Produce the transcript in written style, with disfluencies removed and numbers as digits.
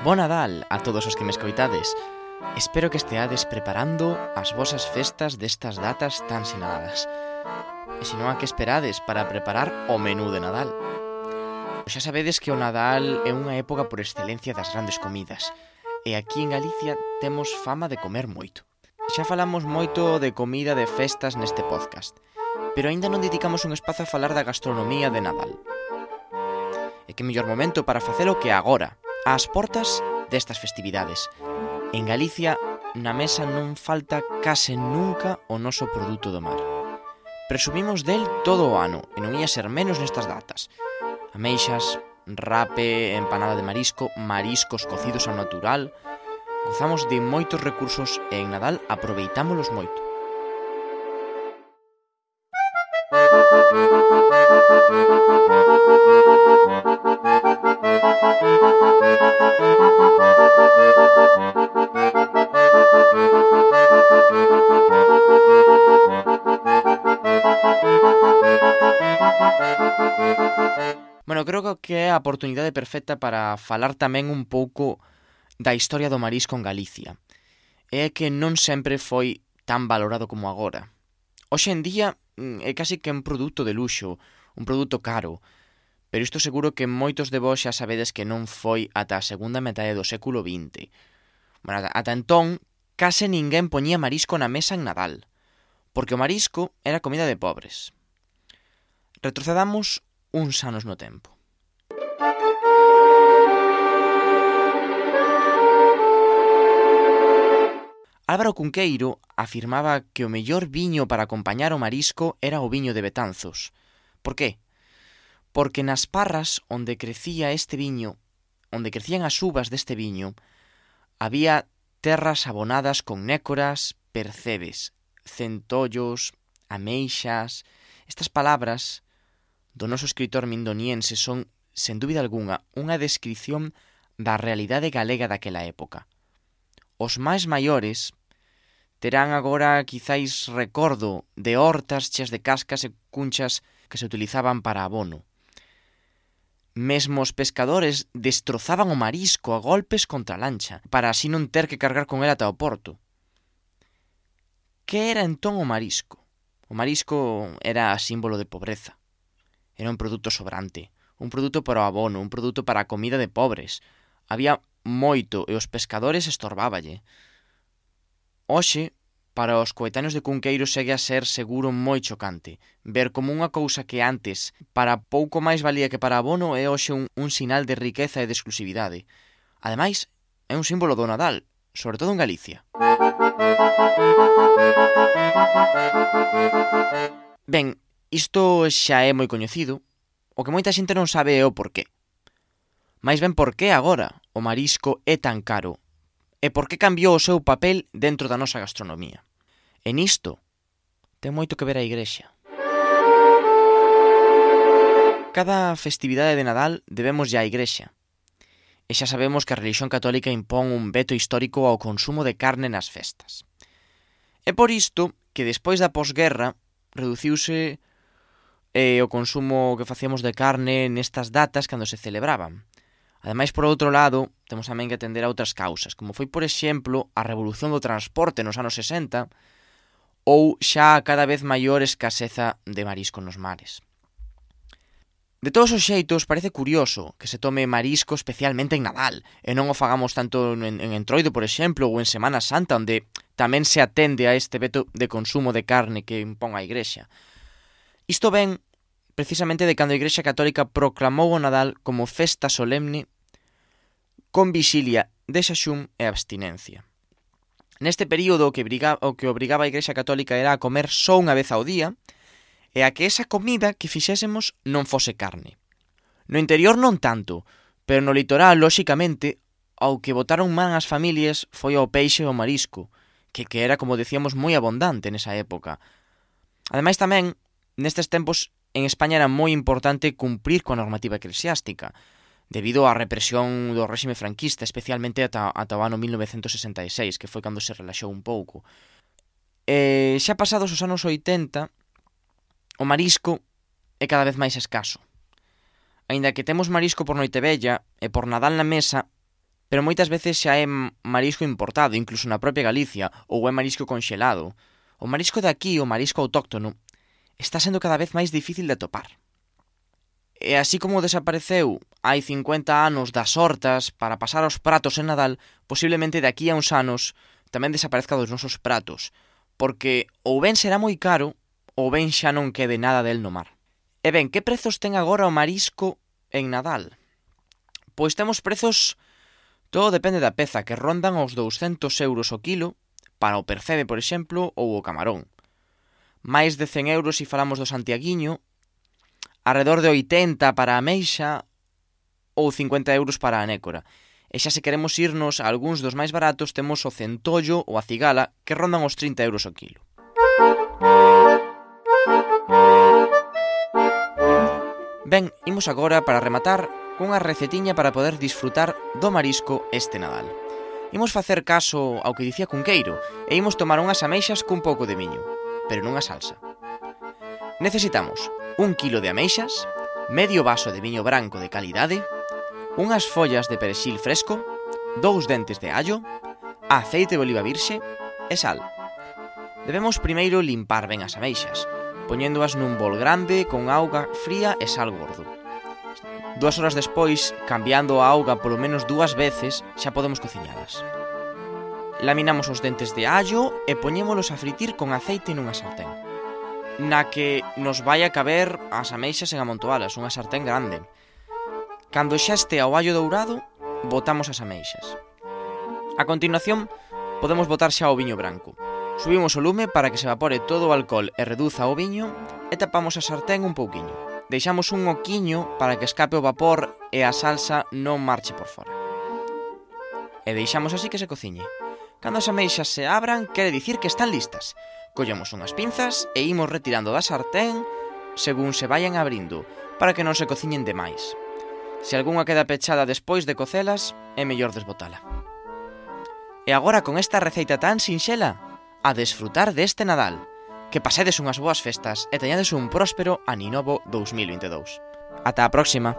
Bo Nadal a todos os que me escoitades. Espero que esteades preparando as vosas festas destas datas tan sinaladas. E se non, a que esperades para preparar o menú de Nadal? Xa sabedes que o Nadal é unha época por excelencia das grandes comidas. E aquí en Galicia temos fama de comer moito. Xa falamos moito de comida de festas neste podcast, pero aínda non dedicamos un espazo a falar da gastronomía de Nadal. E que mellor momento para facelo que agora, ás portas destas festividades. En Galicia, na mesa non falta case nunca o noso produto do mar. Presumimos del todo o ano, e non ia ser menos nestas datas. Ameixas, rape, empanada de marisco, mariscos cocidos ao natural. Gozamos de moitos recursos e en Nadal aproveitámolos moito. Bueno, creo que é a oportunidade perfecta para falar tamén un pouco da historia do marisco en Galicia. É que non sempre foi tan valorado como agora. Hoxe en día é casi que un produto de luxo, un produto caro, pero isto seguro que moitos de vós xa sabedes que non foi ata a segunda metade do século XX. Bueno, ata entón, case ninguén poñía marisco na mesa en Nadal, porque o marisco era comida de pobres. Retrocedamos uns anos no tempo. Álvaro Cunqueiro afirmaba que o mellor viño para acompañar o marisco era o viño de Betanzos. Por qué? Porque nas parras onde crecía este viño, onde crecían as uvas deste viño, había terras abonadas con nécoras, percebes, centollos, ameixas. Estas palabras do noso escritor mindoniense son, sen dúbida algunha, unha descrición da realidade galega daquela época. Os máis maiores terán agora quizáis recordo de hortas cheas de cascas e cunchas que se utilizaban para abono. Mesmo os pescadores destrozaban o marisco a golpes contra a lancha, para así non ter que cargar con el ata o porto. Que era entón o marisco? O marisco era símbolo de pobreza. Era un produto sobrante, un produto para o abono, un produto para a comida de pobres. Había moito e os pescadores estorbáballe. Hoxe, para os coetáneos de Cunqueiro segue a ser seguro moi chocante ver como unha cousa que antes para pouco máis valía que para abono é hoxe un sinal de riqueza e de exclusividade. Ademais, é un símbolo do Nadal, sobre todo en Galicia. Ben, isto xa é moi coñecido, o que moita xente non sabe é o porqué. Mais ben porqué agora o marisco é tan caro e porqué cambiou o seu papel dentro da nosa gastronomía. E nisto ten moito que ver a Igrexa. Cada festividade de Nadal debemos á Igrexa. E xa sabemos que a relixión católica impón un veto histórico ao consumo de carne nas festas. É por isto que despois da posguerra reduciuse o consumo que facíamos de carne nestas datas cando se celebraban. Ademais, por outro lado, temos tamén que atender a outras causas, como foi, por exemplo, a revolución do transporte nos anos 60 ou xa a cada vez maior escaseza de marisco nos mares. De todos os xeitos, parece curioso que se tome marisco especialmente en Nadal e non o fagamos tanto en Entroido, por exemplo, ou en Semana Santa, onde tamén se atende a este veto de consumo de carne que impón a Igrexa. Isto ven precisamente de cando a Igrexa Católica proclamou o Nadal como festa solemne con vixilia de xaxún e abstinencia. Neste período o que obrigaba a Igrexa Católica era a comer só unha vez ao día e a que esa comida que fixésemos non fose carne. No interior non tanto, pero no litoral, lóxicamente, ao que botaron man as familias foi ao peixe e ao marisco, que era, como decíamos, moi abundante nesa época. Ademais tamén, nestes tempos, en España era moi importante cumprir coa normativa eclesiástica, debido á represión do réxime franquista, especialmente ata o ano 1966, que foi cando se relaxou un pouco. Xa pasados os anos 80, o marisco é cada vez máis escaso. Aínda que temos marisco por Noitevella e por Nadal na mesa, pero moitas veces xa é marisco importado, incluso na propia Galicia, ou é marisco conxelado. O marisco de aquí, o marisco autóctono, está sendo cada vez máis difícil de atopar. E así como desapareceu hai 50 anos das hortas para pasar aos pratos en Nadal, posiblemente de aquí a uns anos tamén desaparezca dos nosos pratos, porque ou ben será moi caro, ou ben xa non quede nada del no mar. E ben, que prezos ten agora o marisco en Nadal? Pois temos prezos, todo depende da peza, que rondan os 200 euros o kilo, para o percebe, por exemplo, ou o camarón. Mais de 100 euros se falamos do santiaguiño, arredor de 80 para a ameixa, ou 50 euros para a nécora. E xa se queremos irnos a algúns dos máis baratos, temos o centollo ou a cigala, que rondan os 30 euros o kilo. Ben, imos agora para rematar cunha recetiña para poder disfrutar do marisco este Nadal. Imos facer caso ao que dicía Cunqueiro e imos tomar unhas ameixas cun pouco de miño, pero nunha salsa. Necesitamos 1 kilo de ameixas, medio vaso de viño branco de calidade, unhas follas de perexil fresco, 2 dentes de allo, aceite de oliva virxe e sal. Debemos primeiro limpar ben as ameixas, poñéndoas nun bol grande con auga fría e sal gordo. 2 horas despois, cambiando a auga polo menos 2 veces, xa podemos cociñalas. Laminamos os dentes de allo e poñémolos a fritir con aceite nunha sartén, na que nos vai a caber as ameixas en amontoalas, unha sartén grande. Cando xa este ao allo dourado, botamos as ameixas. A continuación, podemos botar xa o viño branco. Subimos o lume para que se evapore todo o alcohol e reduza o viño e tapamos a sartén un pouquiño. Deixamos un oquiño para que escape o vapor e a salsa non marche por fora. E deixamos así que se cociñe. Cando as ameixas se abran, quere dicir que están listas. Collemos unhas pinzas e imos retirando da sartén según se vayan abrindo, para que non se cociñen demais. Se algunha queda pechada despois de cocelas, é mellor desbotala. E agora con esta receita tan sinxela, a desfrutar deste Nadal. Que pasedes unhas boas festas e teñades un próspero Aninovo 2022. Ata a próxima!